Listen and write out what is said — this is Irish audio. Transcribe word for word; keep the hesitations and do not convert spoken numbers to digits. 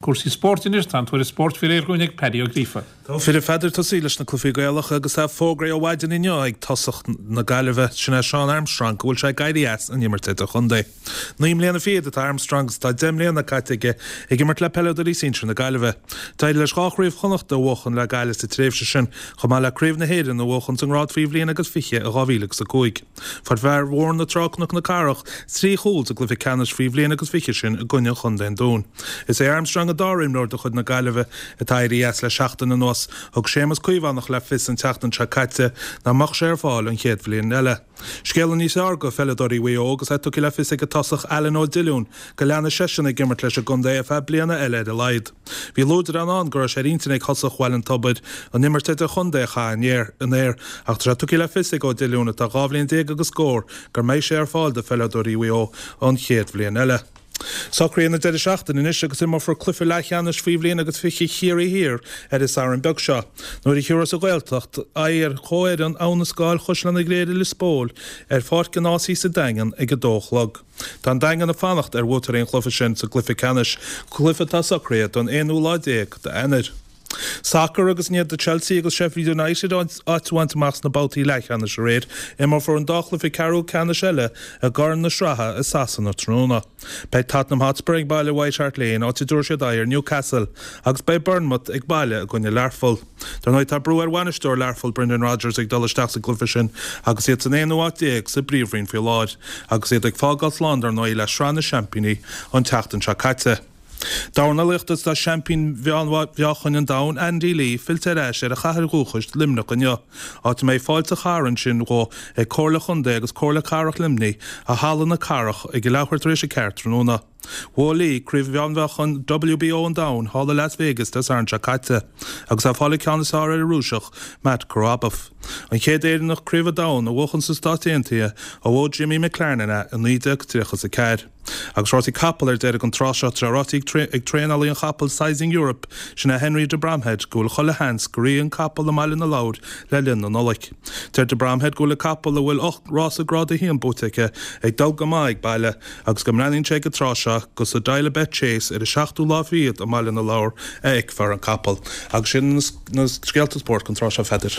Cúrsaí spóirt anois tá an tuairisc spóirt faoi réir ag Paddy Ó Gríofa. Tá a Pheadair tosaí leis na cluichí Gaelacha agus tá fógraithe ó mhaidin inniu ag tosach na Gaillimhe sin é Seán Armstrong go bhfuil sé ag éirí as an imirt idirchontae. Naoi mbliana fichead atá Armstrong tá deich mbliana caite aige ag imirt le peileadóirí sinsir na Gaillimhe. D'éirigh leis dhá chraobh Chonnachta a bhuachan le Gaillimh sa tréimhse sin chomh maith le craobh na hÉireann a bhuachan sa ngrád faoi bhliain agus fiche i dhá mhíle agus a cúig. Fuair fear Bhóthar na Trá Cnoc na Cathrach trí chúl sa gcluiche ceannais faoi bhliain agus fiche sin i gcoinne Chontae an Dúin. Is é Armstrong an dara imreoir de chuid na Gaillimhe atá éirithe as le seachtain anuas thug Séamus Caomhánach le fios an tseachtain seo caite nach mbeadh sé ar fáil an chéad bhliain eile. Scéal níos fearr do pheileadóirí Mhaigh Eo agus é tugtha le fios ag an tosach Alan Ó Diollúin go leanfaidh seisean ag imirt leis an gcontae ar feadh bliana eile ar a laghad. Bhí luaidreán ann go raibh sé ar intinn ag tosach Bhaile an Tobair an imirt idirchontae a chaitheamh in aer ach tá sé tugtha le fios ag Ó Diollúin atá dhá bhliain déag agus scór gur mbeidh sé ar fáil do pheileadóirí Mhaigh Eo an chéad bhliain eile. Socruithe na deireadh seachtaine anois agus imreofar cluiche leathcheannais faoi bhliain agus fiche Chiarraí Thiar ar an Satharn beag seo. Nuair a thiúras a Ghaeltacht aghaidh ar chomhfhoireann Abha na Scáil Chaisleán na Gréire Lios Póil ar Pháirc an Ásaigh sa Daingean ag a dó a chlog. Tá an Daingean ag fanacht ar bhuaiteoirí an chluiche sin sa gcluiche ceannais, cluiche atá socraithe don aonú lá déag d'Eanáir. Sacar agus i ndiaidh do Chelsea agus Sheffield United áit a bhaint amach sna babhtaí leathcheannais aréir, imreofar an dá chluiche ceathrú ceannais eile i gCorn na Sraithe i Sasana tráthnóna. Beidh Tottenham Hotspur ag baile White Hart Lane áit a dtabharfaidh siad aghaidh ar Newcastle agus beidh Bournemouth ag baile i gcoinne Learpholl. Dar ndóigh tá brú ar bhainisteoir Learpholl Brendan Rodgers ag dul isteach sa gcluiche sin agus iad san aonú háit déag sa bPríomhroinn faoi láthair agus iad ag fágáil slán dar ndóigh le Sraith na Seaimpíní an tseachtain seo caite. Dornálaíocht tá seaimpín mheánmheáchain an domhain Andy Lee fillte ar ais ar a chathair dhúchais Luimneach inniu. Áit a mbeidh fáilte charn sin dhó ag Comhairle Chontae agus Comhairle Cathrach Luimnigh i Halla na Cathrach ag a leathuair tar éis a ceathair tráthnóna. Bhuaigh Lee craobh mheánmheáchain WBO an domhain thall i Las Vegas Dé Sathairn seo caite, agus é ag fáil an ceann is fearr ar an Rúiseach Matt Korobov. An chéad Éireannach craobh an domhain a bhuachan sna Stáit Aontaithe ó bhuaigh Jimmy McLarnin é i naoi déag tríocha a ceathair. Agus rásaí capall ar deireadh an tráth seo tá ráite ag traenálaí an chapaill Sizing Europe sin é Henry de Bromhead go bhfuil chuile sheans go rithfidh an capall i mBaile na Lobhar le linn na Nollag. Deir de Bromhead go bhfuil an capall a bhfuil ocht rás grád a haon buaite aige ag dul go maith ag baile agus go mbreathnaíonn sé an tráth seo gur sa Dial-A-Bet Chase ar an seachtú lá fichead i mBaile na Lobhar a fheicfear an capall. Agus sin na scéalta spóirt an tráth seo a Pheadair.